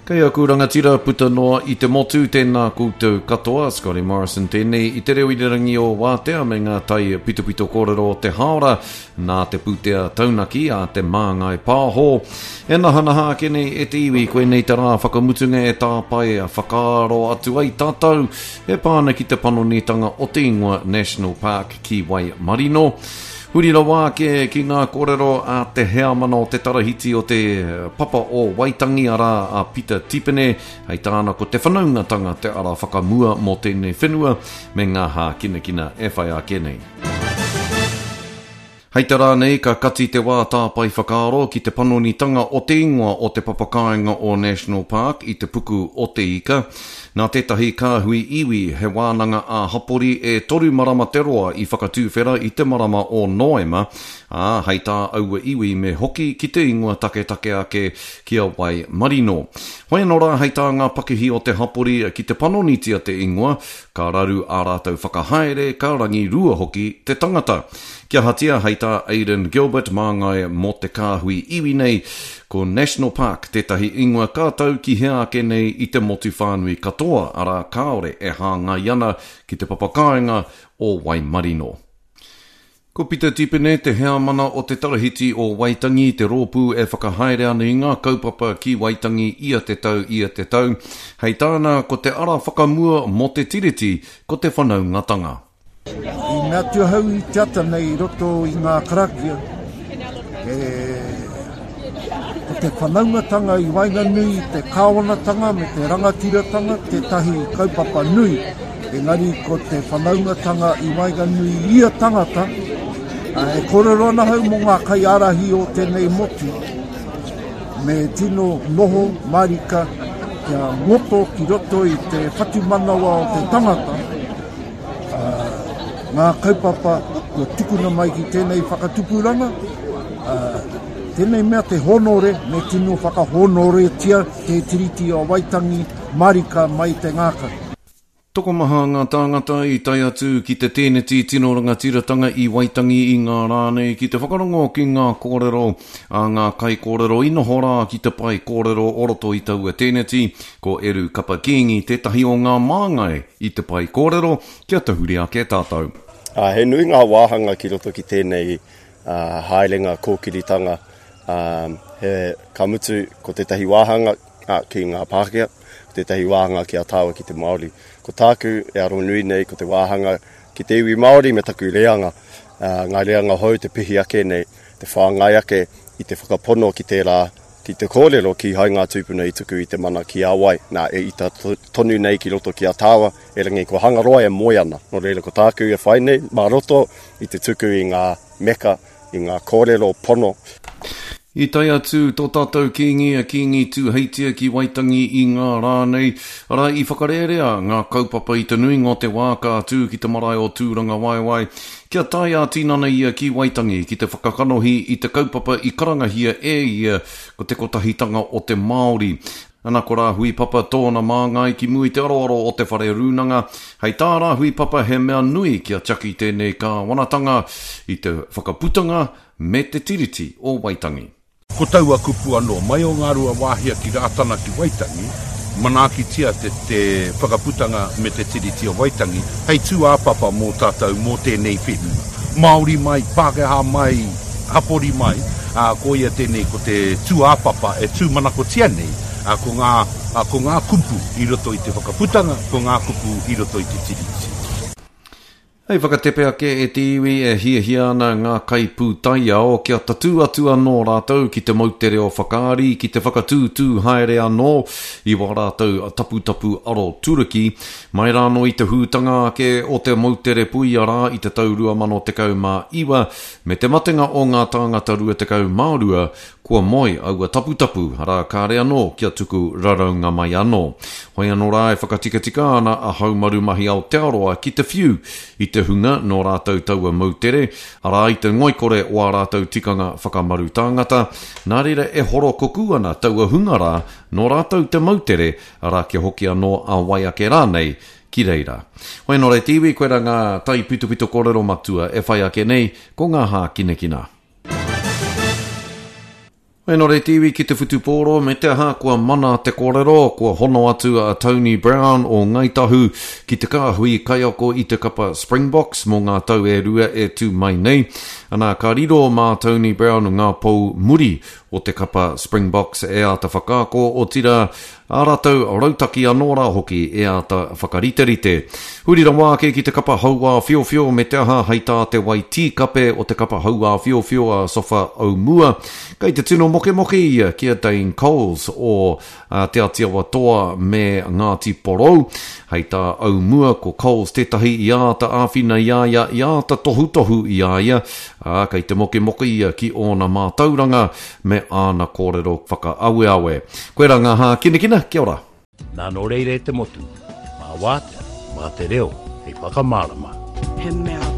Kei aku rangatira puta noa i te motu, tēnā koutou katoa, Scotty Morrison tēnei i te reo irirangi o Wātea me ngā tai pitopito kōrero o te hāora nā te pūtea taunaki a Te Māngai Pāho. E nahanaha ake nei e te iwi, koinei te rā whakamutunga e tāpae whakaaro atu ai tātou e pā ana ki te panonitanga o te ingoa National Park ki Waimarino. Huri rawa ake ki ngā kōrero a te heamana o te tarahiti o te Papa o Waitangi, arā, a Pita Tipene, hei tāna ko te whanaungatanga te ara whakamua mō tēnei whenua me ngā hākinakina e whai ake nei. Hei te rā nei ka kati te wā tāpae whakaaro ki te panonitanga o te ingoa o te papakāinga o National Park i te puku o Te Ika. Nā tētahi kāhui iwi, he wānanga ā-hapori e toru marama te roa i whakatuwhera i te marama o Noema, ā, hei tā aua iwi me hoki ki te ingoa taketake ake ki a Waimarino. Hoi anō rā hei tā ngā pakihi o te hapori ki te panonitia te ingoa, Ka raru ā rātou whakahaere, ka rangirua hoki te tangata. Kia ahatia, hei tā Aidan Gilbert, māngai mō te kāhui iwi nei, ko National Park tētahi ingoa ka tau ki hea ake nei i te motu whānui katoa, arā, kāore e hāngai ana ki te papakāinga o Waimarino. Ko Pita Tipene te heamana o te Tarahiti o Waitangi, te rōpū e whakahaere ana i ngā kaupapa ki Waitangi ia te tau, ia te tau. Hei tāna, ko te ara whakamua mō te Tiriti, ko te whanaungatanga. I mea atu ahau i te ata nei i roto i ngā karakia, e, ko te whanaungatanga i waenganui i te kāwanatanga me te rangatiratanga tētahi kaupapa nui. Engari ko te whanaungatanga i waenganui i ia tangata, e kōrero ana ahau mō ngā kaiārahi o tēnei motu, me tino noho marika kia ngoto ki roto i te whatumanawa o te tangata, ngā kaupapa kua tukuna mai ki tēnei whakatupuranga, tēnei mea te hōnore, me tino whakahōnoretia te Tiriti o Waitangi marika mai te ngākau. Tokomaha ngā tāngata i tae atu ki te tēneti tino rangatiratanga i Waitangi i ngā rā nei ki te whakarongo ki ngā kōrero a ngā kaikōrero i noho rā ki te pae kōrero o roto i taua tēneti. Ko Eru Kapa Kīngi tētahi o ngā māngai i te pae kōrero kia tahuri ake tātou. Ā, he nui ngā wāhanga ki roto ki tēnei haerenga kōkiritanga, ā, he, ka mutu ko tētahi wāhanga, ā, ki ngā Pākehā, ko tētahi wāhanga ki a tāua ki te Māori. Ko tāku e aro nui nei ko te wāhanga ki te iwi Māori me taku reanga, ā, ngā reanga hou te pihi ake nei, te whāngai ake i te whakapono ki tērā, ki te kōrero kīhai ngā tūpuna i tuku i te mana ki a wai, nā, e ita tonu nei ki roto ki a tāua, erangi ko Hangaroa e moe ana. Nō reira ko tāku e whai nei, mā roto i te tuku i ngā meka, i ngā kōrero pono. I tae atu tō tātou Kīngi a Kīngi Tūheitia ki Waitangi i ngā rā nei, arā, i whakarērea ngā kaupapa i te nuinga o te wā ka tū ki te marae o Tūrangawaewae, kia tae ā-tinana ia ki Waitangi ki te whakakanohi i te kaupapa i karangahia e ia ko te Kotahitanga o te Māori. Ana ko Rāhui Papa tōna māngai ki mua i te aroaro o te whare rūnanga. Hei tā Rāhui Papa he mea nui kia tiaki tēnei kāwanatanga i te whakaputanga me te Tiriti o Waitangi. Ko taua kupu anō, mai o Ngāruawāhia ki Rātana ki Waitangi, manaakitia te te whakaputanga me te Tiriti o Waitangi hei tūāpapa mō tātou, mō tēnei whenua. Māori mai, Pākehā mai, hapori mai, ā, koia tēnei ko te tūāpapa e tūmanakotia nei, ā, ko ngā, ā, ko ngā kupu i roto i te whakaputanga, ko ngā kupu i roto i te Tiriti. Hei whakatepe ake e te iwi e hiahia ana ngā kaipūtaiao kia tatū atu anō rātou ki te moutere o Whakaari ki te whakatūtū haere anō i wā rātou taputapu aroturuki. Mai rānō i te hūtanga ake o te moutere puia rā i te tau 2019, Me te matenga o ngā tāngata 22, kua moe aua taputapu, arā, kāre anō kia tuku raraunga mai anō. Hoi anō rā e whakatikatika ana a Haumaru Mahi Aotearoa ki te whiu i te hunga nō rātou taua moutere, arā, i te ngoikore o ā rātou tikanga whakamaru tāngata, nā reira e horokoku ana taua hunga rā nō rātou te moutere, arā, kia hoki anō a wai ake rānei ki reira. Hoi anō rā te iwi, koirā ngā taipitopito kōrero matua e whai ake nei, ko ngā hākinakina. Hēnare te iwi ki te whutupōro me te aha kua mana te kōrero, kua hono atu a Tony Brown o Ngāi Tahu ki te kāhui kaiako i te kapa Springboks mō ngā tau e rua e tū mai nei. Ana, ka riro mā Tony Brown ngā pou muri o te kapa Springboks e āta whakaako, otirā, ā rātou rautaki anō rā hoki e āta whakariterite. Huri rawa ake ki te kapa hauāwhiowhio me te aha hei tā te wai tīkape o te kapa hauāwhiowhio a Sofa Aumua, kei te tino mokemoke ia ki a Dane Coles o Te Atiawa Toa me Ngāti Porou. Hei tā Aumua ko Coles tētahi i āta āwhina i a ia, i āta tohutohu i a ia, ā, kei te mokemoke ia ki ōna mātauranga me āna kōrero whakaaweawe. Koirā ngā hākinakina, kia ora! Nā nō reira e te motu, mā Wātea, mā te reo hei whakamārama. He mea.